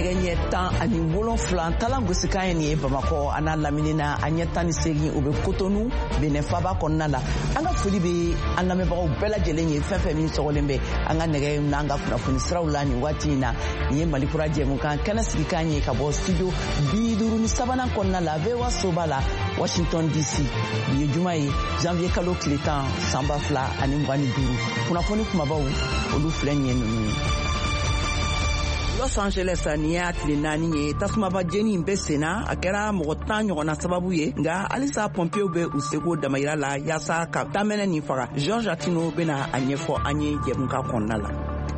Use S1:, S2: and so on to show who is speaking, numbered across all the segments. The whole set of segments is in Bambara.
S1: Nɛgɛ ɲɛ 17 talan gosikan ye nin ye Bamakɔ a n'a lamini na, a ɲɛ 18, o bɛ Kotonu, Benɛ faba kɔnɔna la. An ka foli bɛ an lamɛnbagaw bɛɛ lajɛlen ye, fɛn fɛn min sɔgɔlen bɛ an ka nɛgɛ n'an ka kunnafoni siraw la nin waati in na. Nin ye Mali Kura jɛmukan kɛnɛ sigikan ye ka bɔ studio 53nan kɔnɔna la, VOA soba la, Washington DC. Bi ye juma ye, janvier kalo tile 10, san 2025. Kunnafoni kumabaw, olu filɛ nin ye ninnu ye. Los Angeles, nin y'a tile 4 ye tasumaba jeni in bɛ senna. A kɛra mɔgɔ 10 ɲɔgɔnna sababu ye, nka halisa pɔnpew bɛ u seko damayira la yaasa ka tamɛnɛ nin faga. George Atino bɛna a ɲɛfɔ an ye jɛmukan kɔnɔna la.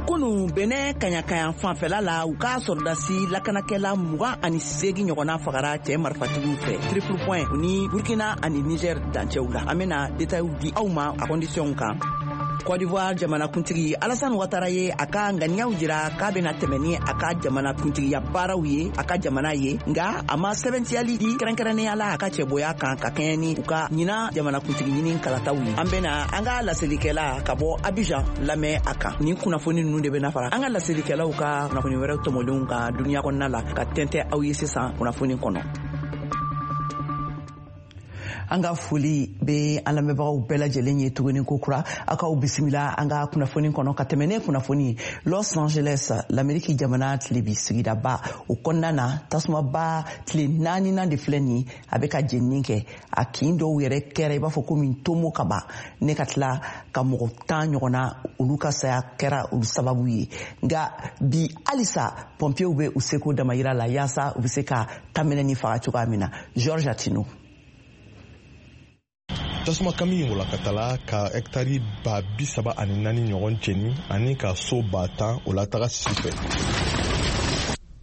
S1: Kunu, Benɛ kaɲakayan fanfɛla la, u ka sɔrɔdasi lakanakɛla 28 ɲɔgɔnna fagara cɛɛ marifatigiw fɛ, triple point ni Burkina ani Niger dancɛw la. An bena detayiw di aw ma a kɔndisiyɔnw kan. Côte d'Ivoire jamanakuntigi Alassane Ouattara ye a ka ŋaniyaw jira k'a bɛna tɛmɛ ni a ka jamanakuntigiya baaraw ye a ka jamana ye, nka a ma sɛbɛntiyali di kɛrɛnkɛrɛnnenya la a ka cɛboya kan ka kɛɲɛ ni u ka ɲinan jamanakuntigi ɲini kalataw ye. An bɛna an ka laselikɛla ka bɔ Abidjan lamɛn a kan. Nin kunnafoni ninnu de bɛna fara an ka laselikɛlaw ka kunnafoni wɛrɛw tɔmɔlenw kan duniya kɔnɔna la ka tɛntɛ aw ye sisan kunnafoni kɔnɔ. An ka foli bɛ an lamɛnbagaw bɛɛ lajɛlen ye tuguni ko kura. Aw k'aw bisimila an ka kunnafoni kɔnɔ. Ka tɛmɛ ne kunnafoni ye, Los Angeles, Lameriki jamana tilebi sigidaba, o kɔnɔna na, tasumaba tile naaninan de filɛ nin, a bɛ ka jenini kɛ. A kin dɔw yɛrɛ kɛra i b'a fɔ komi tomo ka ban ne ka tila ka mɔgɔ 10 ɲɔgɔnna, olu ka saya kɛra olu sababu ye. Nka bi halisa pɔnpiyew bɛ u seko damayira la yaasa u bɛ se ka tamɛnɛ ni faga cogoya min na. George Atino.
S2: Tasuma kami walakatala ka hɛkitari 34,000 ɲɔgɔn jeni ani ka so 10,000 o lataga sisi fɛ.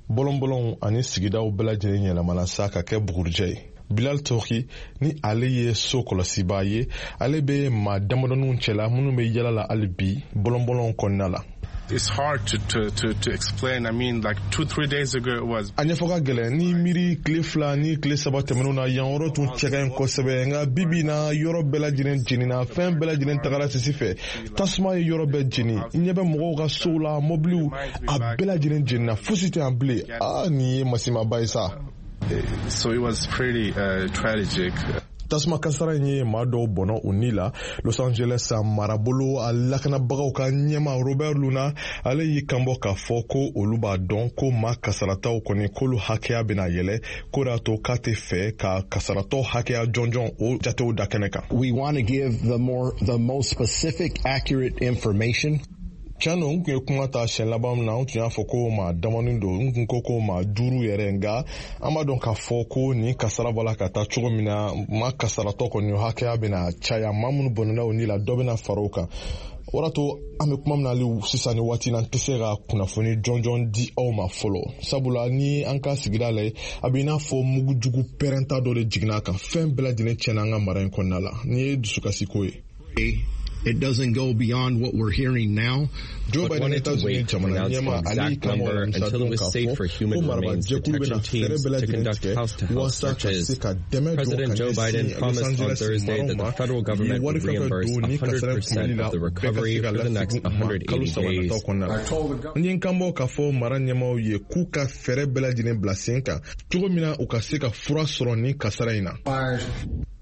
S2: Bɔlɔnbɔlɔnw ani sigidaw bɛɛ lajɛlen yɛlɛmana sa ka kɛ bugurijɛ ye. Bilal Toki ni ale ye so kɔlɔsibaa ye, ale bɛ maa damadɔninw cɛla minnu bɛ yala la hali bi bɔlɔnbɔlɔnw kɔnɔna la.
S3: It's hard to explain. I mean, like 2, 3 days ago, it was.
S2: A ɲɛfɔ ka gɛlɛn. Ni miiri tile 2 ni tile 3 tɛmɛnw na, yan yɔrɔ tun cɛ ka ɲi kosɛbɛ, nka bibi na, yɔrɔ bɛɛ lajɛlen jenina, fɛn bɛɛ lajɛlen tagara sisi fɛ. Tasuma ye yɔrɔ bɛɛ jeni. I ɲɛ bɛ mɔgɔw ka sow la, mɔbiliw, a bɛɛ lajɛlen jenina, fosi tɛ yan bilen. Aa, nin ye masimaba ye sa.
S3: So it was pretty tragic.
S2: Tasuma kasara in ye maa dɔw bɔnɔ u ni la. Los Angeles marabolo a lakanabagaw ka ɲɛma Robert Luna, ale y'i kanbɔ k'a fɔ ko olu b'a dɔn ko maa kasarataw kɔni, k'olu hakɛya bɛna yɛlɛ, k'o de y'a to k'a tɛ fɛ ka kasaratɔ hakɛya jɔnjɔn o jatew da kɛnɛ kan.
S4: We want to give the most specific, accurate information.
S2: Tiɲɛ don, n tun ye kuma ta siɲɛ laban min na, n tun y'a fɔ ko maa damani don, n tun ko ko maa duuru yɛrɛ, nka an b'a dɔn k'a fɔ ko nin kasara bɔla ka taa cogo min na, maa kasaratɔ kɔni hakɛya bɛna caya. Maa minnu bɔnɛna o ni la, dɔ bɛna fara o kan. O de to an bɛ kuma min na hali sisan ni waati na, n tɛ se ka kunnafoni jɔnjɔn di aw ma fɔlɔ, sabula ni an ka sigida lajɛ, a bɛ i n'a fɔ mugujugu pɛrɛnta dɔ de jiginna a kan. Fɛn bɛɛ lajɛlen tiɲɛna an ka mara in kɔnɔna la. Nin ye dusukasiko ye.
S4: It doesn't go beyond what we're hearing now.
S2: Joe Biden, États-Unis jamana ɲɛma, ale y'i kanbɔ alamisa don k'a fɔ ko marabajɛkulu bɛna fɛɛrɛ bɛɛ lajɛlen tigɛ waasa ka se ka dɛmɛ don ka ɲɛsin Los Angeles maraw ma. U ye wari fɛn fɛn don ni kasara kunbɛli la, bɛɛ ka se ka lasegin u ma kalo 3 nataw kɔnɔna la. N ye n kanbɔ k'a fɔ mara ɲɛmaw ye k'u ka fɛɛrɛ bɛɛ lajɛlen bila sen kan cogo min na u ka se ka fura sɔrɔ nin kasara in na.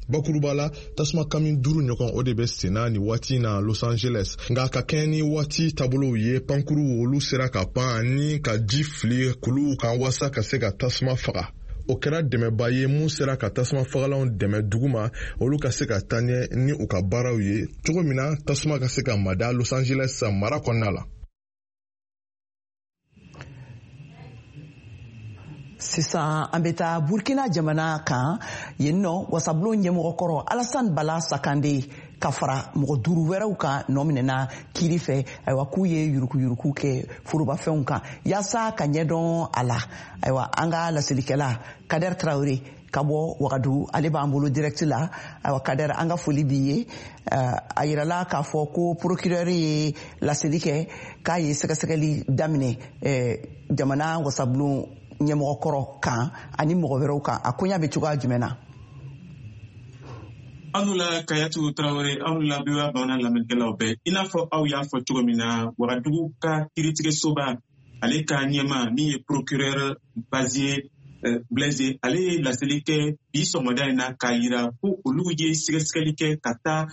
S2: Bakuruba la, tasuma kami duuru ɲɔgɔn, o de bɛ senna ni waati na Los Angeles, nka ka kɛɲɛ ni waati taabolow ye, pankuru olu sera ka pan ani ka ji fili kuluw kan waasa ka se ka tasuma faga. O kɛra dɛmɛba ye mun sera ka tasuma fagalanw dɛmɛ duguma, olu ka se ka taa ɲɛ ni u ka baaraw ye cogo min na tasuma ka se ka mada Los Angeles mara kɔnɔna la.
S1: Sisan an bɛ taa Burkina jamana kan. Yen nɔ, wasabulon ɲɛmɔgɔkɔrɔ Alassane Bala Sakande ka fara mɔgɔ duuru wɛrɛw kan nɔ minɛna kiiri fɛ, ayiwa, k'u ye yurukuyuruku kɛ forobafɛnw kan. Yaasa ka ɲɛdɔn a la, ayiwa, an ka laselikɛla Kader Traore ka bɔ Wagadu, ale b'an bolo direct la. Ayiwa Kader, an ka foli b'i ye. A yirala k'a fɔ ko procureur ye laseli kɛ k'a ye sɛgɛsɛgɛli daminɛ jamana wasabulon ɲɛmɔgɔkɔrɔ kan ani mɔgɔ wɛrɛw kan. A koɲa bɛ cogoya jumɛn na?
S5: Aw la Kayatu Tarawele, aw la VOA bamanan lamɛnnikɛlaw bɛɛ. I n'a fɔ aw y'a fɔ cogo min na, Wagadugu ka kiiritigɛsoba Ale ka ɲɛma min ye procureur Bazier Blaise, ale ye laseli kɛ bi sɔgɔmada in na k'a yira ko olu ye sɛgɛsɛgɛli kɛ ka taa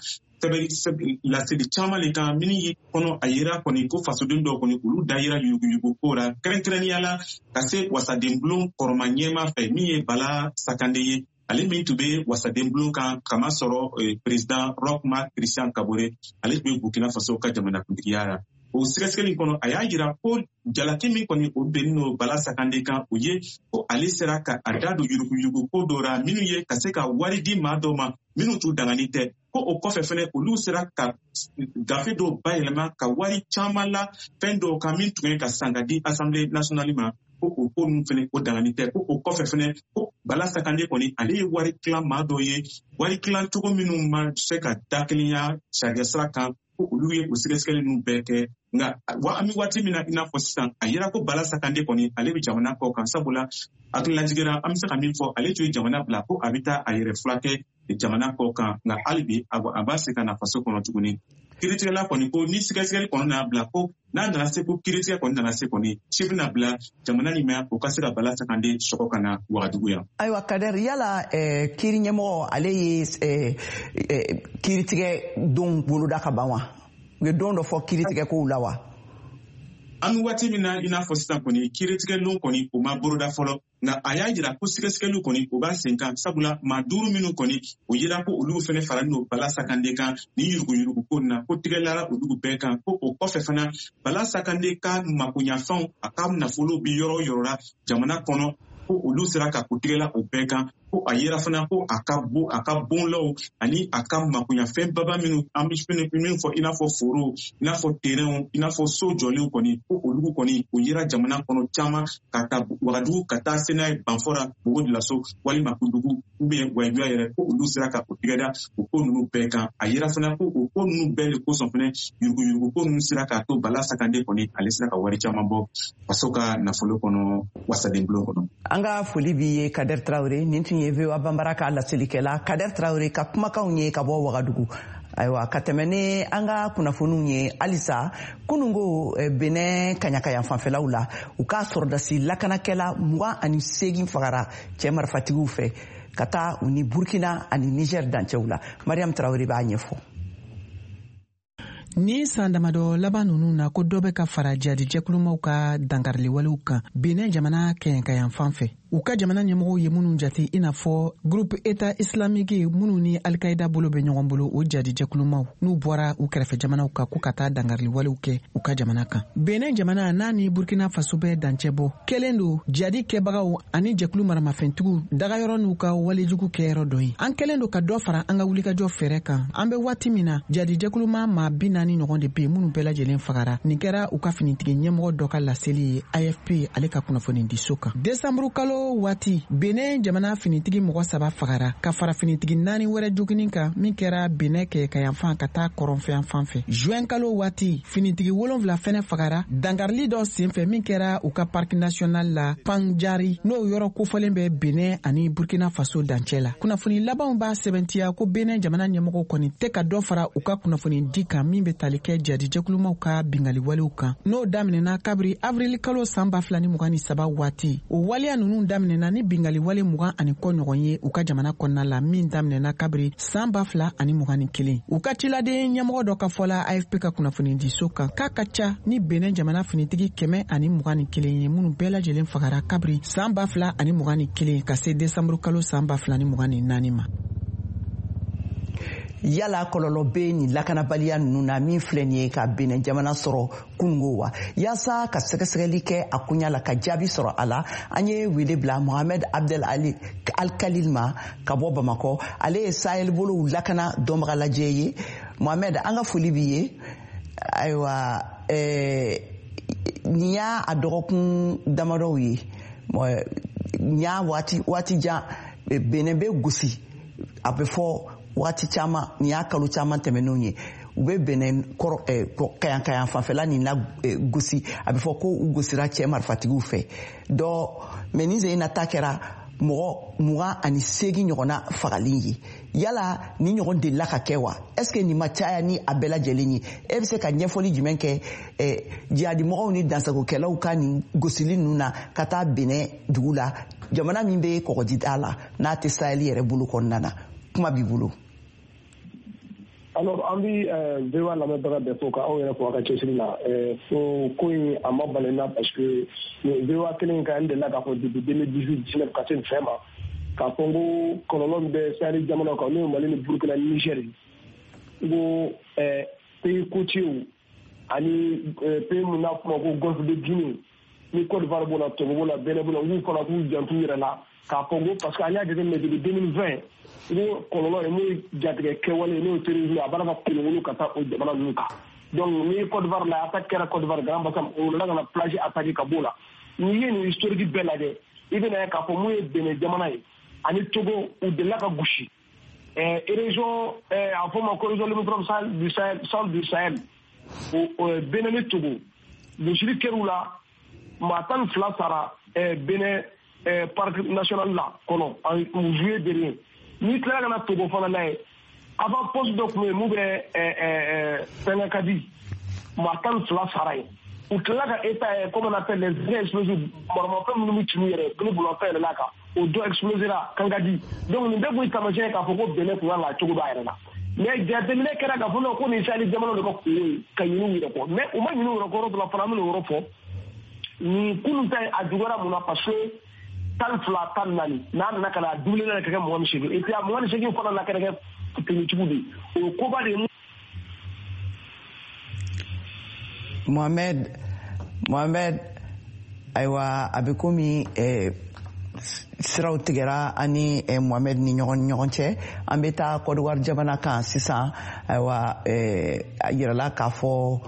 S5: laseli caman le kan minnu ye kɔnɔ. A yira kɔni ko fasoden dɔw kɔni, olu da yira yuruguyurugu ko la, kɛrɛnkɛrɛnnenya la ka se wasadenbulon kɔrɔma ɲɛma fɛ, min ye Bala Sakande ye, ale min tun bɛ wasadenbulon kan kamasɔrɔ président Roch Marc Christian Kabore, ale tun bɛ Burkina Faso ka jamanakuntigiya la. O sɛgɛsɛgɛli kɔnɔ, a y'a jira ko jalaki min kɔni o bɛnnen don Bala Sakande kan, o ye ko ale sera ka a da don yuruguyurugu ko dɔ la, minnu ye ka se ka wari di maa dɔw ma minnu t'u dangani tɛ, ko o kɔfɛ fɛnɛ olu sera ka gafe dɔw bayɛlɛma ka wari caman la fɛn dɔw kan min tun ye ka san ka di Assemblée nationale ma, ko o ko ninnu fɛnɛ o dangani tɛ. Ko o kɔfɛ fɛnɛ, ko Bala Sakande kɔni, ale ye wari tilan maa dɔw ye, wari tilan cogo minnu ma se ka dakelenya sariya sira kan, ko olu ye o sɛgɛsɛgɛli ninnu bɛɛ kɛ. Nka an bɛ waati min na i n'a fɔ sisan, a yira ko Bala Sakande kɔni, ale bɛ jamana kɔ kan, sabula hakililajigin an bɛ se ka min fɔ, ale tun ye jamana bila ko a bɛ taa a yɛrɛ furakɛ jamana kɔ kan, nka hali bi a b'a se ka na faso kɔnɔ tuguni. Kiiritigɛla kɔni ko ni sɛgɛsɛgɛli kɔni n'a bila ko n'a nana se, ko kiiritigɛ kɔni nana se kɔni, ci bɛna bila jamana nin ma, o ka se ka Bala Sakande sɔgɔ ka na Wagadugu yan.
S1: Ayiwa Kader, yala kiiri ɲɛmɔgɔ, ale ye kiiritigɛ don boloda ka ban wa? U ye don dɔ fɔ kiiritigɛ kow la wa?
S5: An bɛ waati min na i n'a fɔ sisan kɔni, kiiritigɛ lon kɔni o ma boloda fɔlɔ, nka a y'a jira ko sɛgɛsɛgɛliw kɔni o b'a sen kan, sabula maa duuru minnu kɔni o yira ko olu fɛnɛ faralen don Bala Sakande kan ni yuruguyurugu ko na, ko tigɛlara olu bɛɛ kan. Ko o kɔfɛ fana, Bala Sakande ka makoɲafɛnw, a ka nafolo bi yɔrɔ o yɔrɔ la jamana kɔnɔ, ko olu sera ka ko tigɛla o bɛɛ kan. Ko a yera fana ko a ka bon, a ka bonlaw ani a ka makoɲafɛn baba minnu an bɛ min fɔ, i n'a fɔ foro, i n'a fɔ terrainw, i n'a fɔ so jɔlenw kɔni, ko olu kɔni o yera jamana kɔnɔ caman, ka taa Wagadugu ka taa se n'a ye Banfora, Bobo Dioulasso walima Kundugu ou bien Wayiduya yɛrɛ, ko olu sera ka o tigɛda o ko ninnu bɛɛ kan. A yera fana ko o ko ninnu bɛɛ de kosɔn fɛnɛ, yuruguyurugu ko ninnu sera k'a to Bala Sakande kɔni, ale sera ka wari caman bɔ faso ka nafolo kɔnɔ wasadenbulon kɔnɔ.
S1: An ka foli b'i ye, Kader Traore. Nin tun ye VOA Banbara ka laselikɛla Kader Traore ka kumakanw ye ka bɔ Wagadugu. Ayiwa, ka tɛmɛ ni an ka kunnafoniw ye halisa, kunungo Benɛ kaɲakayan fanfɛlaw la, u ka sɔrɔdasi lakanakɛla 28 fagara cɛ marifatigiw fɛ ka taa u ni Burkina ani Niger dancɛw la. Mariam Traore b'a ɲɛfɔ.
S6: Ni san damadɔ laban nunu na, ko dɔ bɛ ka fara jadijɛkulumaw ka dankariliwalew kan Benin jamana kɛɲɛkayan fan fɛ, u ka jamana ɲɛmɔgɔw ye minnu jate i n'a fɔ Groupe État Islamique, minnu ni Alikaida bolo bɛ ɲɔgɔn bolo. O jadijɛkulumaw n'u bɔra u kɛrɛfɛ jamanaw kan ko ka taa dankariliwalew kɛ u ka jamana kan. Benin jamana n'a ni Burkina Faso bɛ dancɛ bɔ kɛlen don jadi kɛbagaw ani jɛkulu maramafɛntigiw dagayɔrɔ n'u ka walejugu kɛyɔrɔ dɔ ye. An kɛlen don ka dɔ fara an ka wulikajɔ fɛɛrɛ kan. An bɛ waati min na, jadijɛkuluma maa 40 ɲɔgɔn de be minnu bɛɛ lajɛlen fagara. Nin kɛra u ka finitigi ɲɛmɔgɔ dɔ ka laseli ye AFP ale ka kunnafonidiso kan. Desanburu kalo waati, Benin jamana finitigi mɔgɔ saba fagara ka fara finitigi naani wɛrɛ joginin kan, min kɛra Benin kɛɲɛkayanfan ka taa kɔrɔnfɛyan fan fɛ. Juin kalo waati, finitigi wolonfila fɛnɛ fagara dankarili dɔ senfɛ min kɛra u ka parc national la Panjari, n'o yɔrɔ kofɔlen bɛ Benin ani Burkina Faso dancɛ la. Kunnafoni labanw b'a sɛbɛntiya ko Benin jamana ɲɛmɔgɔw kɔni tɛ ka dɔ fara u ka kunnafoni di kan min bɛ tali kɛ jadijɛkulumaw ka bingaliwalew kan, n'o daminɛna kabiri avril kalo san 2023 waati. O waleya nunu daminɛna ni bingaliwale 20 ani kɔ ɲɔgɔn ye u ka jamana kɔnɔna la, min daminɛna kabiri san 2021. U ka ciladen ɲɛmɔgɔ dɔ ka fɔla AFP ka kunnafonidiso kan k'a ka ca ni Benin jamana finitigi 121 ye minnu bɛɛ lajɛlen fagara kabiri san 2021 ka se desanburu kalo san 2024 ma.
S1: Yala kɔlɔlɔ bɛ nin lakanabaliya ninnu na min filɛ nin ye ka Benin jamana sɔrɔ kunungo wa? Yaasa ka sɛgɛsɛgɛli kɛ a koɲa la ka jaabi sɔrɔ a la, an ye wele bila Mohamed Abdel Ali Alkalil ma ka bɔ Bamakɔ. Ale ye Sahel bolow lakana dɔnbaga lajɛ ye. Mohamed, an ka foli b'i ye. Ayiwa, nin y'a a dɔgɔkun damadɔw ye, nin y'a waati jan Benin bɛ gosi, a bɛ fɔ waati caman, nin y'a kalo caman tɛmɛnenw ye, u bɛ Benin kɔrɔ kayankayan fanfɛla nin la gosi, a bɛ fɔ ko u gosira cɛ marifatigiw fɛ dɔ. Mɛ nin sen in na ta kɛra Mɔgɔ 28 ɲɔgɔnna fagali ye. Yala ni ɲɔgɔn delila ka kɛ wa? Est ce que nin ma caya ni a bɛɛ lajɛlen ye? E bɛ se ka ɲɛfɔli jumɛn kɛ jihadimɔgɔw ni dansagokɛlaw ka nin gosili ninnu na ka taa Benin dugu la, jamana min bɛ kɔgɔjida la, n'a tɛ Sahel yɛrɛ bolo kɔnɔna na? Kuma b'i bolo.
S7: Alors, an bi VOA lamɛnbaga bɛɛ fo, ka aw yɛrɛ fo a ka cɛsiri la. Fo ko in a ma bali na, parce que VOA kelen kan, n delila k'a fɔ depuis 2018 19 ka se nin fɛn ma, k'a fɔ n ko kɔlɔlɔ min bɛ Sahel jamanaw kan, n'o ye Mali ni Burukina ni Niger, n ko pays côtiers ani pays mun n'a fɔ ma ko Golfe de Guinée ni Côte d'Ivoire b'o la, Togo b'o la, Benin b'o la, n k'u fana k'u jantu yɛrɛ la, k'a fɔ ko parce que an y'a jateminɛ depuis 2020, n ko kɔlɔlɔ ye mun ye, jatigɛ kɛwale n'o ye terrorisme, a b'a la ka kolonkolon ka taa o jamana ninnu kan. Donc ni Côte d'Ivoire la, attaque kɛra Côte d'Ivoire, Grand Bassam, o nana ka na plage attaquer ka b'o la. N'i ye nin historique bɛɛ lajɛ, i bɛna ye k'a fɔ mun ye Benin jamana ye ani Togo, u delila ka gosi région, a fɔ ma ko région limitrophe du Sahel, centre du Sahel, o Benin ni Togo, gosili kɛr'u la, maa 12 sara Benin parc national la kɔnɔ en juillet dernier. N'i tilala ka na Togo fana lajɛ, avant poste dɔ tun bɛ yen mun bɛ fɛnkɛ ka di, maa 12 sara yen. U tilala ka état ye, comme on appelle les engins explosifs, maramafɛn minnu bɛ ci n'u yɛrɛ ni bolomafɛn yɛlɛla kan, o dɔ explosera Kankadi. Donc nin bɛɛ kun ye taamasiyɛn ye k'a fɔ ko Benin kun kan k'a cogo dɔn a yɛrɛ la. Mais jateminɛ kɛra k'a fɔ non, ko nin Sahel jamanaw de ka kungo ye ka ɲin'u yɛrɛ kɔ, mais u ma ɲin'u yɛrɛ kɔ. Yɔrɔ dɔ la fana, an bɛna o yɔrɔ fɔ. Nin kunun ta ye, a juguyara mun na? Parce que 12, 14, n'a nana ka na doublé ka kɛ 28, et puis a 28 fana na kɛra kɛ tenitigiw de ye, o ye koba de ye.
S1: Mohamed, Mohamed, ayiwa, a bɛ komi siraw tigɛra ani Mohamed ni ɲɔgɔn cɛ. An bɛ taa Côte d'Ivoire jamana kan sisan. Ayiwa, a yirala k'a fɔ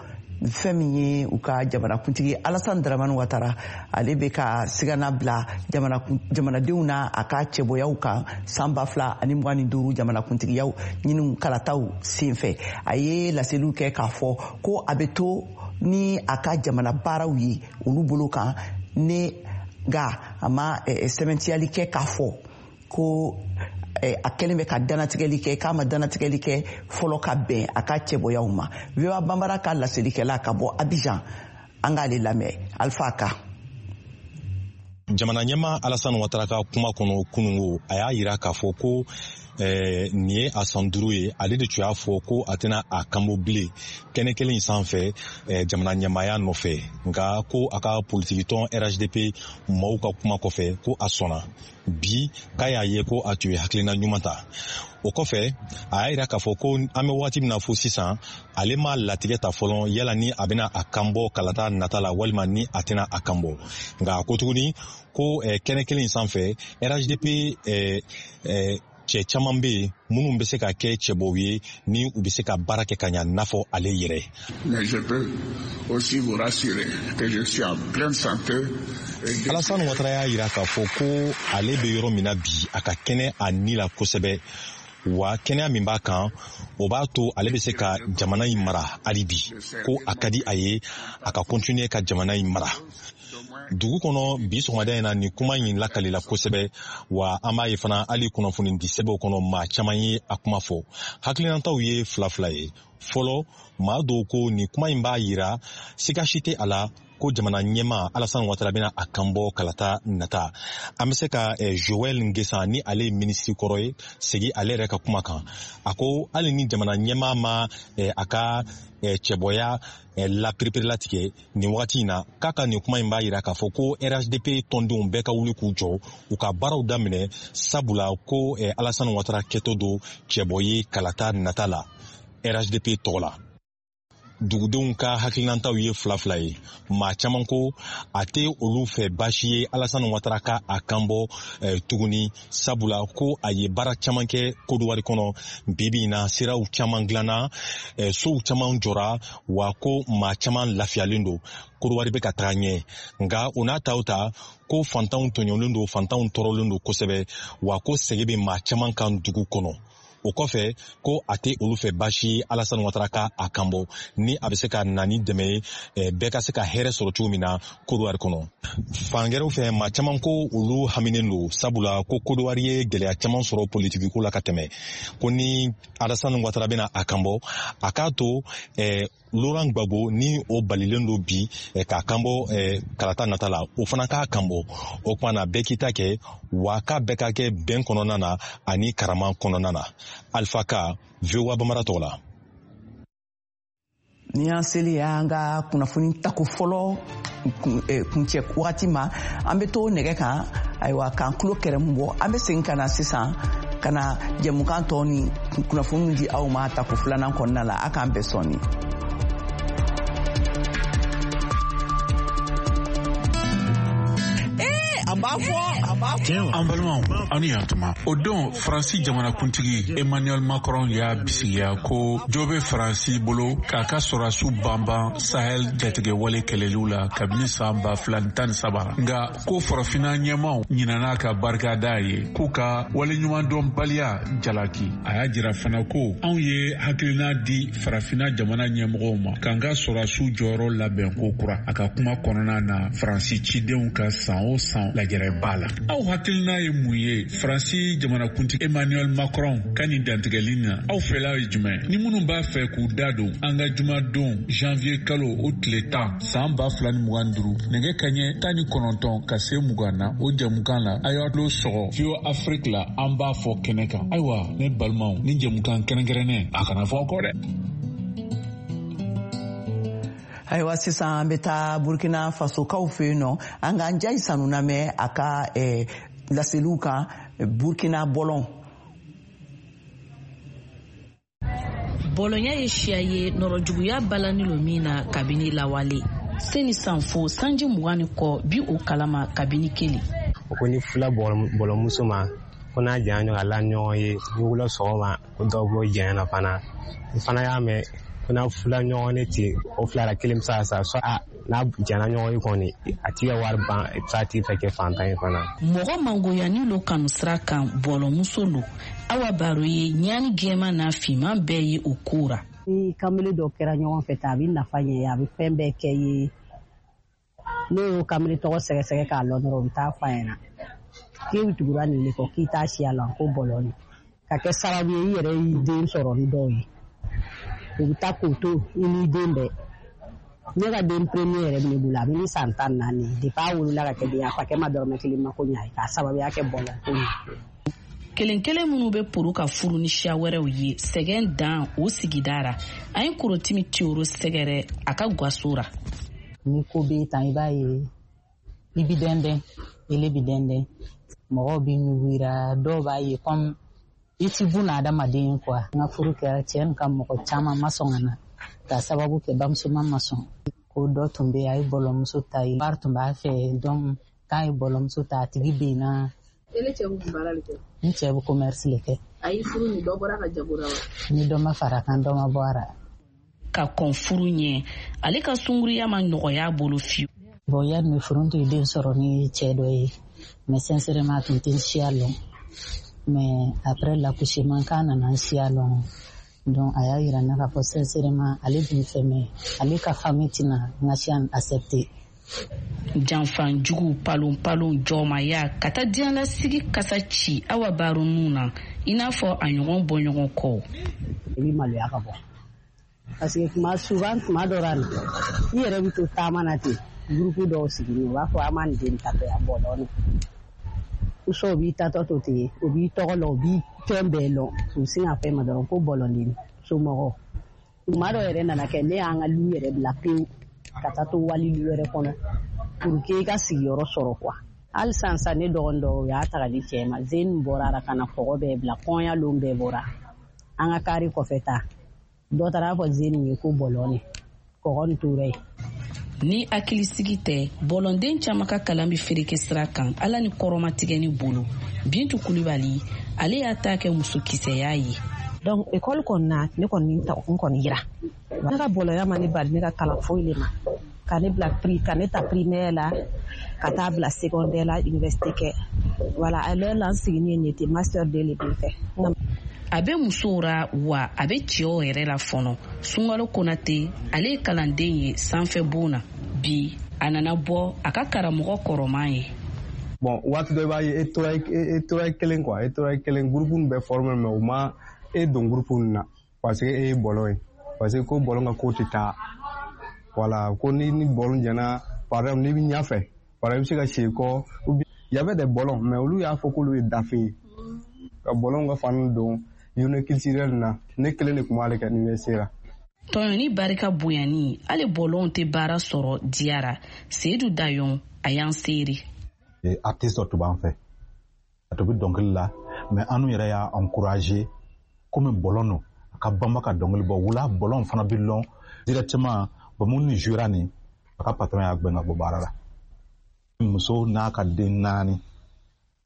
S1: fɛn min ye, u ka jamanakuntigi Alassane Dramane Ouattara, ale bɛ ka sigana bila jamanadenw na a ka cɛbɔyaw kan san 2025 jamanakuntigiyaw ɲiniw kalataw senfɛ. A ye laseliw kɛ k'a fɔ ko a bɛ to ni a ka jamana baaraw ye olu bolo kan ne, nka a ma sɛbɛntiyali kɛ k'a fɔ ko a kɛlen bɛ ka danatigɛli kɛ, k'a ma danatigɛli kɛ fɔlɔ ka bɛn a ka cɛbɔyaw ma. VOA Banbara ka laselikɛla ka bɔ Abidjan, an k'ale lamɛn, Alpha Ka.
S8: Jamana ɲɛma Alassane Ouattara ka kuma kɔnɔ kunungo, a y'a yira k'a fɔ ko nin ye a san 5 ye, ale de tun y'a fɔ ko a tɛna a kanbɔ bilen kɛnɛ kelen in sanfɛ jamana ɲɛmaaya nɔfɛ. Nka ko a ka politikitɔn RHDP maaw ka kuma kɔfɛ, ko a sɔnna bi, k'a y'a ye ko a tun ye hakilina ɲuman ta. O kɔfɛ, a y'a yira k'a fɔ ko an bɛ wagati min na fo sisan, ale ma latigɛ ta fɔlɔ yala ni a bɛna a kanbɔ kalata nata la walima ni a tɛna a kanbɔ. Nka a ko tuguni ko kɛnɛ kelen in sanfɛ, RHDP cɛ caman bɛ yen minnu bɛ se ka kɛ cɛbɔw ye ni u bɛ se ka baara kɛ ka ɲa n'a fɔ ale yɛrɛ.
S9: Mais je peux aussi vous rassurer que je suis en pleine santé.
S8: Alassane Ouattara y'a yira k'a fɔ ko ale bɛ yɔrɔ min na bi, a ka kɛnɛ a ni la kosɛbɛ, wa kɛnɛya min b'a kan, o b'a to ale bɛ se ka jamana in mara hali bi, ko a ka di a ye a ka continuer ka jamana in mara. Dugu kɔnɔ bi sɔgɔmada in na, nin kuma in lakalila kosɛbɛ, wa an b'a ye fana hali kunnafoni di sɛbɛnw kɔnɔ, maa caman ye a kuma fɔ. Hakilinataw ye fila fila ye fɔlɔ. Maa dɔw ko nin kuma in b'a yira siga si tɛ a la ko jamana ɲɛma Alassane Ouattara bɛna a kanbɔ kalata nata. An bɛ se ka Joël Nguessan, ni ale ye minisiri kɔrɔ ye, segi ale yɛrɛ ka kuma kan. A ko hali ni jamana ɲɛma ma a ka cɛbɔya lapereperelatigɛ nin wagati in na, k'a ka nin kuma in b'a yira k'a fɔ ko RHDP tɔndenw bɛɛ ka wuli k'u jɔ, u ka baaraw daminɛ, sabula ko Alassane Ouattara kɛtɔ don cɛbɔ ye kalata nata la RHDP tɔgɔ la. Dugudenw ka hakilinataw ye fila fila ye. Maa caman ko a tɛ olu fɛ baasi ye Alassane Ouattara ka a kanbɔ tuguni, sabula ko a ye baara caman kɛ Kodowari kɔnɔ. Bi bi in na, siraw caman dilanna, sow caman jɔra, wa ko maa caman lafiyalen don, Kodowari bɛ ka taga ɲɛ. Nka o n'a taw ta, ko fantanw tɔɲɔlen don, fantanw tɔɔrɔlen don kosɛbɛ, wa ko sɛgɛn bɛ maa caman kan dugu kɔnɔ. O kɔfɛ ko a tɛ olu fɛ baasi ye Alassane Ouattara ka a kanbɔ, ni a bɛ se ka na ni dɛmɛ ye bɛɛ ka se ka hɛrɛ sɔrɔ cogo min na Kodowari kɔnɔ. Fan gɛrɛw fɛ, maa caman ko olu haminen don, sabula ko Kodowari ye gɛlɛya caman sɔrɔ politikiko la ka tɛmɛ, ko ni Alassane Ouattara bɛna a kanbɔ, a k'a to Laurent Gbagbo ni o balilen don bi k'a kanbɔ kalata nata la, o fana k'a kanbɔ. O tuma na bɛɛ k'i ta kɛ, wa k'a bɛɛ ka kɛ bɛn kɔnɔna na ani karama kɔnɔna na. Alpha Ka, VOA Bambara tɔgɔ la.
S1: Ni an seli y'an ka kunnafoni tako fɔlɔ kuncɛ wagati ma, an bɛ to nɛgɛ kan, ayiwa, k'an tulo kɛrɛmu bɔ. An bɛ segin ka na sisan ka na jɛmukan tɔ ni kunnafoniw di aw ma tako filanan kɔnɔna la. A k'an bɛn sɔɔni.
S9: An balimaw, aw ni yantuma. O don Faransi jamanakuntigi Emmanuel Macron y'a bisigiya ko jo bɛ Faransi bolo k'a ka sɔrɔdasiw banban Sahel jatigɛwale kɛlɛliw la kabini san 2013. Nka ko farafinna ɲɛmaw ɲinana ka barika da ye, k'u ka waleɲumandɔnbaliya jalaki. A y'a jira fana ko anw ye hakilina di farafinna jamana ɲɛmɔgɔw ma k'an ka sɔrɔdasiw jɔyɔrɔ labɛn ko kura. A ka kuma kɔnɔna na Faransi cidenw ka san o san lajɛrɛba la. Aw hakilina ye mun ye Faransi jamanakuntigi Emmanuel Macron ka nin dantigɛli na? Aw fɛla ye jumɛn? Ni minnu b'a fɛ k'u da don an ka jumadon janvier kalo o tile 10 san 2025 nɛgɛ kaɲɛ 19 ka se 20 na o jɛmukan la, a y'a tulo sɔgɔ VOA Afrique la, an b'a fɔ kɛnɛ kan. Ayiwa, ne balimaw, ni jɛmukan kɛrɛnkɛrɛnnen a kana fɔ kɔ dɛ.
S1: Ayiwa, sisan an bɛ taa Burkina Fasokaw fɛ yen nɔ, an k'an Njayi Sanu lamɛn a ka laseliw kan Burkina bɔlɔn.
S10: Bɔlɔnya ye siya ye nɔrɔjuguya balani lo min na kabini lawale. Seni sanfo sanji 20 ni kɔ bi o kalama kabini kelen.
S11: O ko ni fila bɔlɔmuso ma, ko n'a janya ɲɔgɔn a la ɲɔgɔn ye, ni wula sɔgɔma ko dɔw b'o janya na fana. N fana y'a mɛn ko n'a fila ɲɔgɔn ne ten, o fila la kelen bɛ se ka sa, soit n'a janya ɲɔgɔn ye kɔni, a t'i ka wari ban, i bɛ se a tigi fɛ kɛ fantan ye fana.
S10: Mɔgɔ mangoyani lo kanu sira kan bɔlɔmuso lo. Awa baro ye ɲaani gɛman n'a finman bɛɛ ye o ko ra.
S12: Ni kamalen dɔ kɛra ɲɔgɔn fɛ tan, a bɛ nafa ɲɛ, a bɛ fɛn bɛɛ kɛ ye. N'o y'o kamalen tɔgɔ sɛgɛsɛgɛ k'a lɔn dɔrɔn, o bɛ taa f'a ɲɛna k'e bɛ tugura nin de kɔ, k'i t'a siya la ko bɔlɔn ka kɛ sababu ye i yɛrɛ y'i den sɔrɔ ni dɔw ye. U bɛ taa k'o to i n'i den bɛɛ. Ne ka den premier yɛrɛ bɛ ne bolo, a bɛ ni san 14 depuis a wolola ka kɛ den ye, a fakɛ ma dɔrɔmɛ kelen mako ɲ'a ye k'a sababuya kɛ bɔlɔn ko ye.
S10: Kelen kelen minnu bɛ poro ka furu ni siya wɛrɛw ye, sɛgɛn dan o sigida ra. An ye Korotimi Tiyoro sɛgɛrɛ a ka gaso ra.
S13: Ni ko b'e tan, i b'a ye i bi dɛndɛn, ele bi dɛndɛn, mɔgɔw bi ɲugu, dɔw b'a ye comme i ti buna adamaden quoi. N ka furu kɛra, cɛ nin ka mɔgɔ caman ma sɔn ka na k'a sababu kɛ bamuso ma sɔn. Ko dɔ tun bɛ yen, a ye bɔlɔmuso ta yen, wari tun b'a fɛ, donc k'a ye bɔlɔmuso ta, a tigi benna.
S14: Ele cɛ bɛ mun baara de kɛ?
S13: N cɛ bɛ commerce le kɛ.
S14: A y'i furu ni dɔ bɔra ka jago la wa?
S13: Ni dɔ ma fara kan, dɔ ma bɔ a la.
S10: Ka kɔn furu ɲɛ, ale ka sunguruya ma nɔgɔya bolo fiyewu.
S13: Bon, yanni bɛ furu, n tun ye den sɔrɔ ni cɛ dɔ ye, mais sincèrement a tun tɛ n siya lɔn. Mais après l'accouchement, k'a nana n siya lɔn, donc a y'a yira n na k'a fɔ sincèrement ale bɛ n fɛ, mais ale ka famille tɛna n ka siya accepter.
S10: Janfan jugu, palon palon, jɔnmaya ka taa diɲɛlasigi kasa ci Awa Baro nun na, i n'a fɔ a ɲɔgɔn bɔ ɲɔgɔn kɔ.
S12: I bɛ maloya ka bɔ, parce que tuma souvent, tuma dɔ la i yɛrɛ bɛ to taama na ten, groupe dɔw sigilen, u b'a fɔ an b'a nin den tatɔ yan bɔlɔn ni o b'i tatɔ to ten, o b'i tɔgɔ lɔn, o b'i fɛn bɛɛ lɔn, u bɛ sin k'a fɔ e ma dɔrɔn ko bɔlɔnden somɔgɔw. Tuma dɔ yɛrɛ nana kɛ, ne y'an ka lu yɛrɛ bila pewu ka taa to wali lu wɛrɛ kɔnɔ pour que i ka sigiyɔrɔ sɔrɔ quoi. Hali sisan sisan, ne dɔgɔnin dɔw, u y'a ta ka di cɛ ma, zeni bɔra a la ka na kɔgɔ bɛɛ bila, kɔɲɔ lon bɛɛ bɔra an ka kari kɔfɛ ta, dɔ taara fɔ zeni ye ko bɔlɔn kɔgɔ nin tora yen.
S10: Ni hakilisigi tɛ, bɔlɔnden caman ka kalan bɛ fereke sira kan Ala ni kɔrɔmatigɛ ni bolo. Bintu Kulibali, ale y'a ta kɛ musokisɛya ye.
S15: Donc école kɔni na, ne kɔni n kɔni yira ne ka bɔlɔnya ma ne bali ne ka kalan foyi le ma, ka ne bila pri ka ne ta primaire la ka taa bila secondaire la, université kɛ. Voilà, à l'heure la n sigini ye nin ye ten, master 2 le bɛ fɛ.
S10: A bɛ musow ra wa a bɛ cɛw yɛrɛ la fɔnɔ. Sunkalo Konate, ale ye kalanden ye sanfɛ bon na. Bi a nana bɔ a ka karamɔgɔ kɔrɔman ye.
S16: Bon, waati dɔ i b'a ye e tora kelen quoi, e tora kelen, groupe nin bɛɛ formé, mais u ma e don groupe nin na parce que e ye bɔlɔn ye, parce que ko bɔlɔn ka ko tɛ taa. Voilà, ko ni bɔlɔn jɛna, par exemple n'i bɛ ɲɛfɛ, par exemple i bɛ se ka si kɔ. Il y avait des bɔlɔn, mais olu y'a fɔ k'olu ye dafe ye. Ka bɔlɔn ka fani don journée culturelle na, ne kelen de tun b'ale kɛ université la.
S10: Tɔɲɔni barika bonyani, hali bɔlɔnw tɛ baara sɔrɔ diyara. Seyidu Dayon, a y'an seere.
S17: Artiste dɔ tun b'an fɛ, a tun bɛ dɔnkili la, mais an yɛrɛ y'a encouragé komi bɔlɔn don, a ka banba ka dɔnkili bɔ. Wula bɔlɔn fana bɛ lɔn directement. Bon, minnu jouera nin, a ka patron y'a gɛn ka bɔ baara la. Muso n'a ka den 4.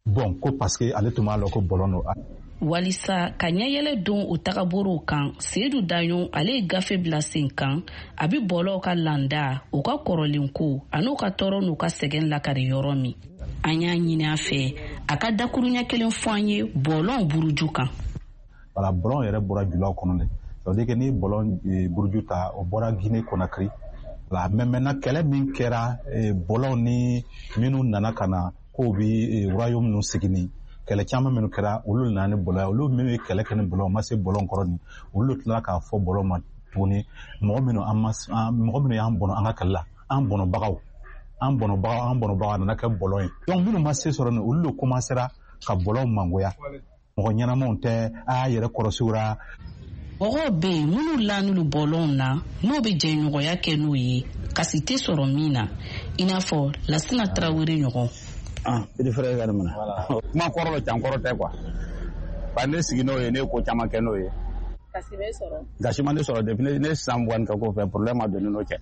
S17: Bon, ko parce que ale tun b'a lɔn ko bɔlɔn don.
S10: Walisa ka ɲɛyɛlɛ don o tagaborow kan, Seyidu Daɲon ale ye gafe bila sen kan. A bɛ bɔlɔw ka landa, u ka kɔrɔlenko an'u ka tɔɔrɔ n'u ka sɛgɛn lakari yɔrɔ min. An y'a ɲini a fɛ a ka dakuruɲɛ kelen fɔ an ye bɔlɔn buruju kan.
S17: Wala, bɔlɔn yɛrɛ bɔra julaw kɔnɔ de. Ça veut dire que ni bɔlɔn buruju ta, o bɔra Guinée Conakry. Voilà, mais maintenant kɛlɛ min kɛra bɔlɔn ni minnu nana ka na k'o bɛ royaume ninnu sigi ni kɛlɛ caman minnu kɛra, olu nana ni bɔlɔn ye. Olu minnu ye kɛlɛ kɛ ni bɔlɔn, u ma se bɔlɔn kɔrɔ ni, olu tilala k'a fɔ bɔlɔn ma tuguni, mɔgɔ minnu y'an bɔnɔ an ka kɛlɛ la, an bɔnɔbagaw, a nana kɛ bɔlɔn ye. Donc minnu ma se sɔrɔ nin, olu de commencera ka bɔlɔn mangoya. Mɔgɔ ɲɛnamaw tɛ, a y'a yɛrɛ kɔlɔsi u la.
S10: Mɔgɔw bɛ yen minnu lanulu bɔlɔnw na, n'o bɛ jɛɲɔgɔnya kɛ n'o ye, kasi tɛ sɔrɔ min na, i n'a fɔ Lasina Tarawele ɲɔgɔn.
S18: Ah, petit frère ka nin minɛ. Kuma kɔrɔ dɔ can kɔrɔ tɛ quoi. Ba ne sigi n'o ye, ne ye ko caman kɛ n'o ye.
S14: Kasi bɛ sɔrɔ.
S18: Gasi ma ne sɔrɔ depuis ne san 20 ka ko fɛ, problème ma don ne n'o cɛ.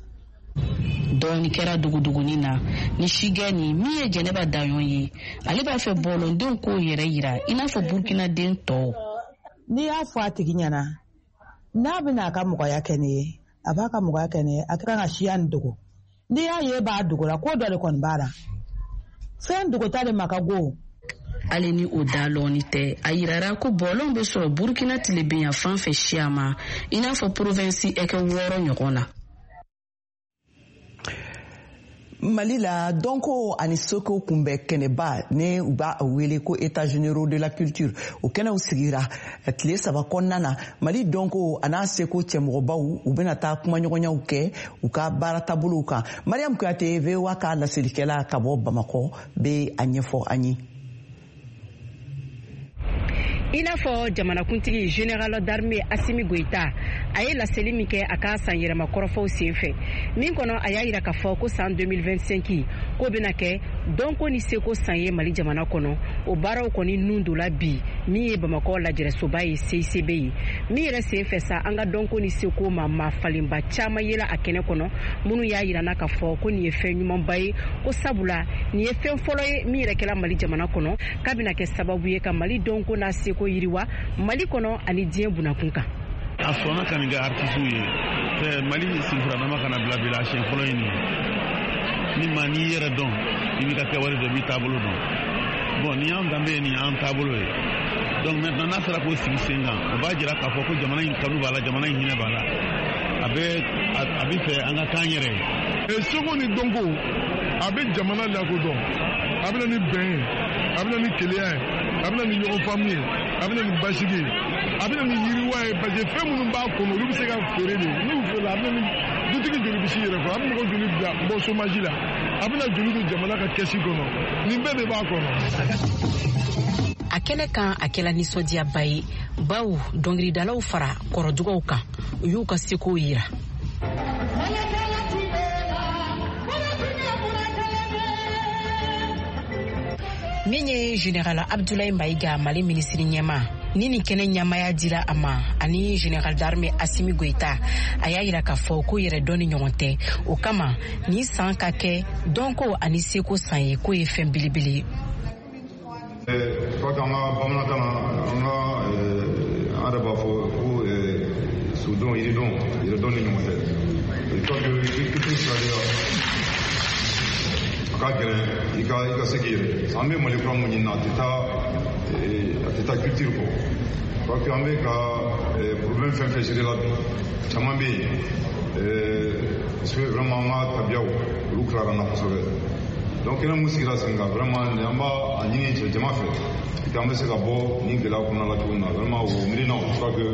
S10: Dɔɔni kɛra duguduguni na ni sigɛ ni min ye Jɛnɛba Daɲɔn ye, ale b'a fɛ bɔlɔndenw k'o yɛrɛ yira i n'a fɔ Burukinaden tɔw.
S19: N'i y'a fɔ a tigi ɲɛna, n'a bɛna a ka mɔgɔya kɛ ne ye, a b'a ka mɔgɔya kɛ ne ye, a ka kan ka siya nin dogo. N'i y'a ye b'a dogo la, ko dɔ de kɔni b'a la. Fɛn dogota de ma ka go.
S10: Hali ni o da lɔɔni tɛ, a yirara ko bɔlɔn bɛ sɔrɔ Burukina tilebenya fan fɛ siya ma, i n'a fɔ provinsi ɛkɛ 6 ɲɔgɔn na.
S1: Mali la, dɔnko ani seko kunbɛ kɛnɛba ne u b'a wele ko État généraux de la culture, o kɛnɛw sigira tile 3 kɔnɔna na. Mali dɔnko a n'a seko cɛmɔgɔbaw, u bɛna taa kumaɲɔgɔnyaw kɛ u ka baara taabolow kan. Mariam Kuyate, VOA ka laselikɛla ka bɔ Bamakɔ, bɛ a ɲɛfɔ an ye.
S20: I n'a fɔ jamanakuntigi général d'armée Assimi Goïta a ye laseli min kɛ a ka san yɛlɛma kɔrɔfɔw senfɛ, min kɔnɔ a y'a yira k'a fɔ ko san 2025 k'o bɛna kɛ dɔnko ni seko san ye Mali jamana kɔnɔ. O baaraw kɔni nun donna bi min ye Bamakɔ lajɛrɛsoba ye CICB ye, min yɛrɛ senfɛ sa an ka dɔnko ni seko ma maa falenba caman yela a kɛnɛ kɔnɔ, minnu y'a yira na k'a fɔ ko nin ye fɛn ɲumanba ye, ko sabula nin ye fɛn fɔlɔ ye min yɛrɛ kɛla Mali jamana kɔnɔ, k'a bɛna kɛ sababu ye ka Mali dɔnko n'a seko yiriwa Mali kɔnɔ ani diɲɛ bunakun kan.
S21: A sɔnna ka nin kɛ artisiw ye. Mali senfuradama kana bila bi la, a siɲɛ fɔlɔ ye nin ye. Ni maa n'i yɛrɛ dɔn, i b'i ka kɛwale dɔn, i b'i taabolo dɔn. Bon, nin y'an danbe ye, nin y'an taabolo ye. Donc maintenant n'a sera k'o sigi sen kan, o b'a jira k'a fɔ ko jamana in kanu b'a la, jamana in hinɛ b'a la. A bɛ fɛ an ka k'an yɛrɛ ye.
S22: Seko ni dɔnko, a bɛ jamana lakodɔn, a bɛ na ni bɛn ye, a bɛ na ni keleya ye, a bɛ na ni ɲɔgɔn faamu ye, a bɛ na ni basigi ye, a bɛ na ni yiriwa ye, parce que fɛn minnu b'a kɔnɔ, olu bɛ se ka feere de. N'u feerela, a bɛ na ni dutigi joli bɛ s'i yɛrɛ kɔrɔ, a bɛ mɔgɔ joli bila bɔ chômage la, a bɛ na joli don jamana ka kɛsi kɔnɔ, nin bɛɛ de b'a kɔnɔ.
S23: A kɛnɛ kan, a kɛla nisɔndiyaba ye, bawo dɔnkilidalaw fara kɔrɔdugaw kan, u y'u ka sekow yira. Min ye général Abdoulaye Maïga, Mali minisiri ɲɛma, ni nin kɛnɛ ɲɛmaya dira a ma, ani général d'armée Assimi Goïta, a y'a yira k'a fɔ ko yɛrɛ dɔn ni ɲɔgɔn tɛ. O kama nin san ka kɛ dɔnko ani seko san ye, k'o ye fɛn belebele ye.
S24: Je crois qu'an ka bamanankan na, an ka an yɛrɛ b'a fɔ ko sodɔn, yiridɔn, yɛrɛdɔn ni ɲɔgɔn tɛ. Je crois que culture sira de la, a ka gɛlɛn i ka se k'i yɛrɛ. An bɛ Mali kura mun ɲini na, a tɛ taa culture kɔ. Parce que an bɛ ka problème fɛn fɛn gérer la bi, caman bɛ yen, parce que vraiment an ka tabiyaw olu tilara an na kosɛbɛ. Donc kɛnɛ mun sigira sen kan, vraiment an b'a ɲini cɛ jama fɛ que an bɛ se ka bɔ nin gɛlɛya kɔnɔna la cogo min na. Vraiment o miirinaw, je crois que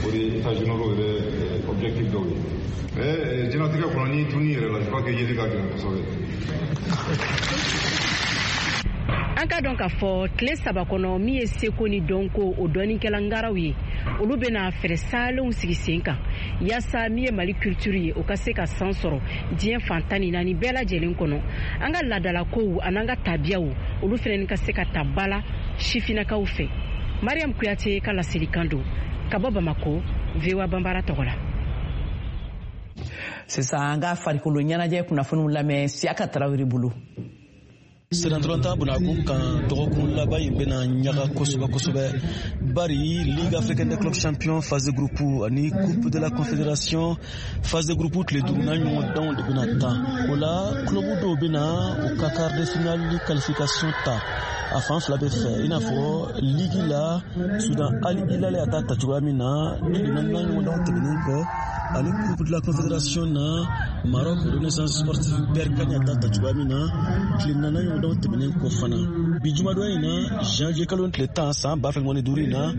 S24: o de ye états généraux yɛrɛ objectif dɔw ye. Mais diɲɛlatigɛ kɔnɔ, n'i tununi yɛrɛ la, je crois que yeli ka gɛlɛn kosɛbɛ.
S20: An ka dɔn k'a fɔ tile 3 kɔnɔ, min ye seko ni dɔnko o dɔnnikɛla ngaraw ye, olu bɛna fɛɛrɛ salenw sigi sen kan yaasa min ye Mali culture ye, o ka se ka san sɔrɔ diɲɛ fan 14 bɛɛ lajɛlen kɔnɔ. An ka laadalakow an'an ka tabiyaw, olu fɛnɛ ka se ka ta ba la sifinnakaw fɛ. Mariam Kuyate ka laselikan don ka bɔ Bamako, VOA Banbara tɔgɔ la.
S1: Sisan an ka farikolo ɲɛnajɛ kunnafoniw lamɛn Siyaka Tarawele bolo.
S2: Sennantolatan bunakun kan, dɔgɔkun laban in bɛna ɲaga kosɛbɛ kosɛbɛ, bari Ligue africaine des clubs champions phase de groupe ani Coupe de la Confédération phase de groupe tile duurunan ɲɔgɔndanw de bɛna tan. O la, club dɔw bɛna u ka quart de finale qualification ta a fan fila bɛɛ fɛ, i n'a fɔ ligue la, Sudan Al Hilal y'a ta ta cogoya min na tile naaninan ɲɔgɔndanw tɛmɛnen kɔ, ani Coupe de la Confédération na, Maroc Renaissance Sportive Berkane y'a ta ta cogoya min na tile naaninan ɲɔgɔndanw tɛmɛnen kɔ fana. Bi jumadon in na, janvier kalo tile 10 san 2025 in na,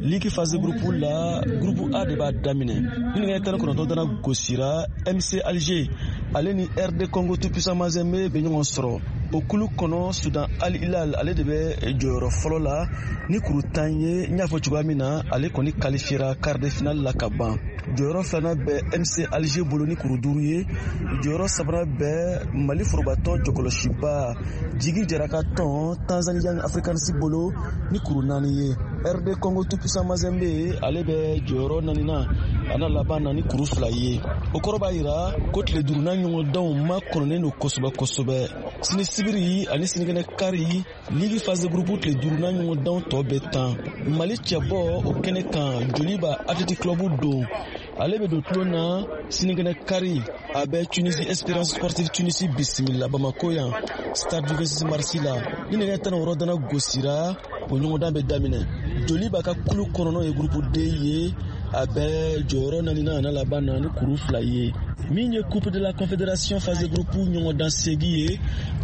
S2: ligue phase de groupe la, groupe A de b'a daminɛ ni nɛgɛ 19 dana gosira. MC Alger ale ni RD Congo tout puissant Mazembe bɛ ɲɔgɔn sɔrɔ. O kulu kɔnɔ, Sudan Al Hilal ale de bɛ jɔyɔrɔ fɔlɔ la ni kuru 10 ye. N y'a fɔ cogoya min na, ale kɔni qualifiera quart de finale la ka ban. Jɔyɔrɔ filanan bɛ MC Alger bolo ni kuru 5 ye. Jɔyɔrɔ sabanan bɛ Mali forobatɔn jɔkɔlɔsiba Jigi Jara ka tɔn Tanzanie Young Africans bolo ni kuru 4 ye. RD Congo tout puissant Mazembe ale bɛ jɔyɔrɔ naaninan a n'a laban na ni kuru 2 ye. O kɔrɔ b'a yira ko tile duurunan ɲɔgɔndanw makɔnɔnen don kosɛbɛ kosɛbɛ. Sini sibiri ani sinikɛnɛ kari, ligue phase de groupe tile duurunan ɲɔgɔndanw tɔ bɛ tan. Mali cɛbɔ o kɛnɛ kan, Joliba Athletic Club don, ale bɛ don tulon na sinikɛnɛ kari. A bɛ Tunisie Espérance Sportive Tunisie bisimila Bamako yan, stade du 26 mars la. Ni nɛgɛ 16 dana gosira, o ɲɔgɔndan bɛ daminɛ. Joliba ka kulu kɔnɔ, n'o ye groupe D ye, a bɛ jɔyɔrɔ naaninan a n'a laban na ni kuru 2 ye. Min ye Coupe de la Confédération phase de groupe ɲɔgɔndan segi ye,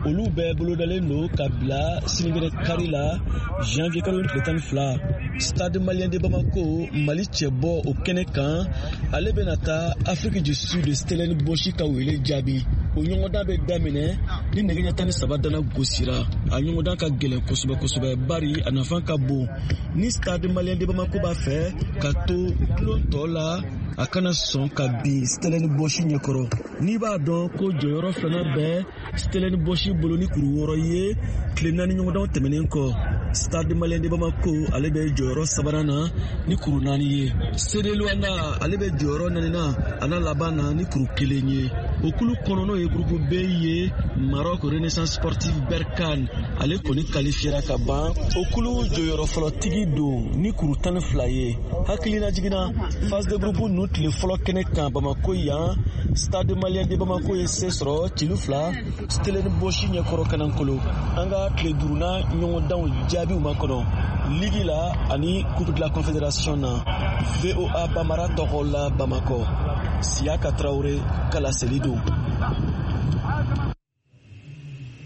S2: olu bɛɛ bolodalen don ka bila sinikɛnɛ kari la, janvier kalo tile 12. Stade Malien de Bamako, Mali cɛbɔ o kɛnɛ kan, ale bɛna taa Afrique du Sud Stellenbosch ka wele jaabi. O ɲɔgɔndan bɛ daminɛ ni nɛgɛ ɲɛ 13 dana gosira. A ɲɔgɔndan ka gɛlɛn kosɛbɛ kosɛbɛ, bari a nafa ka bon. Ni Stade Malien de Bamako b'a fɛ ka to tulon tɔ la, a kana sɔn ka bin Stellenbosch ɲɛkɔrɔ. N'i b'a dɔn ko jɔyɔrɔ filanan bɛ Stellenbosch bolo ni kuru 6 ye tile naani ɲɔgɔndanw tɛmɛnen kɔ, Stade Malien de Bamako ale bɛ jɔyɔrɔ sabanan na ni kuru 4 ye. CD Luanda ale bɛ jɔyɔrɔ naaninan a n'a laban na ni kuru 1 ye. O kulu kɔnɔ, n'o ye groupe B ye, Maroc Renaissance Sportive Berkane ale kɔni qualifiera ka ban. O kulu jɔyɔrɔ fɔlɔtigi don ni kuru 12 ye. Hakilina jiginna, phase de groupe ninnu tile fɔlɔ kɛnɛ kan Bamako yan, Stade Malien de Bamako ye se sɔrɔ celu 2 Stellenbosch ɲɛkɔrɔ Kanankolo. An ka tile duurunan ɲɔgɔndanw jaabiw ma kɔnɔ ligue la ani Coupe de la Confédération na. VOA Bamara tɔgɔ la Bamakɔ, Siyaka Tarawele ka laseli don.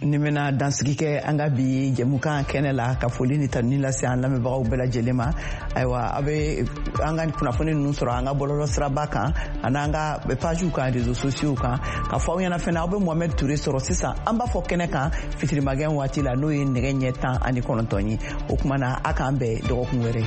S1: Ni bɛna dansigi kɛ an ka bi jɛmukan kɛnɛ la, ka foli ni tanuni lase an lamɛnbagaw bɛɛ lajɛlen ma. Ayiwa, a bɛ an ka kunnafoni ninnu sɔrɔ an ka bɔlɔlɔ siraba kan ani an ka pagew kan, réseaux sociaux kan. Ka fɔ aw ɲɛna fɛnɛ, aw bɛ Mohamed Touré sɔrɔ sisan an b'a fɔ kɛnɛ kan fitirimakɛ waati la, n'o ye nɛgɛ ɲɛ 19 ye. O kuma na, a k'an bɛn dɔgɔkun wɛrɛ.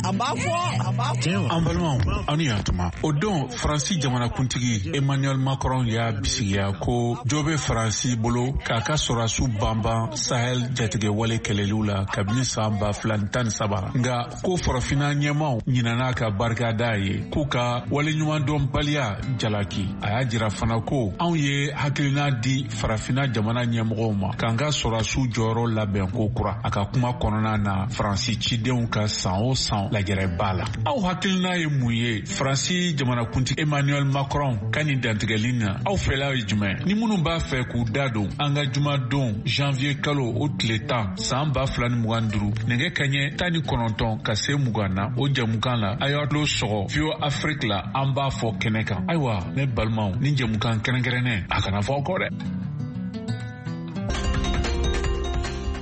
S1: A b'a fɔ, a b'a fɔ.
S9: An balimaw, aw ni yantuma. O don, Faransi jamanakuntigi Emmanuel Macron y'a bisigiya ko jo bɛ Faransi bolo k'a ka sɔrɔdasiw banban Sahel jatigɛwale kɛlɛliw la kabini san 2013. Nka ko farafinna ɲɛmaw ɲinɛna ka barika da ye, k'u ka waleɲumandɔnbaliya jalaki. A y'a jira fana ko anw ye hakilina di farafinna jamana ɲɛmɔgɔw ma k'an ka sɔrɔdasiw jɔyɔrɔ labɛn ko kura. A ka kuma kɔnɔna na, Faransi cidenw ka san o san lajɛrɛba la. Aw hakilina ye mun ye Faransi jamanakuntigi Emmanuel Macron ka nin dantigɛli na? Aw fɛla ye jumɛn? Ni minnu b'a fɛ k'u da don an ka jumadon janvier kalo o tile 10 san 2025 nɛgɛ kaɲɛ 19 ka se 20 na, o jɛmukan la, a y'aw tulo sɔgɔ VOA Afrique la, an b'a fɔ kɛnɛ kan. Ayiwa, ne balimaw, ni jɛmukan kɛrɛnkɛrɛnnen, a kana fɔ aw kɔ dɛ.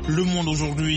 S3: Le Monde aujourd'hui.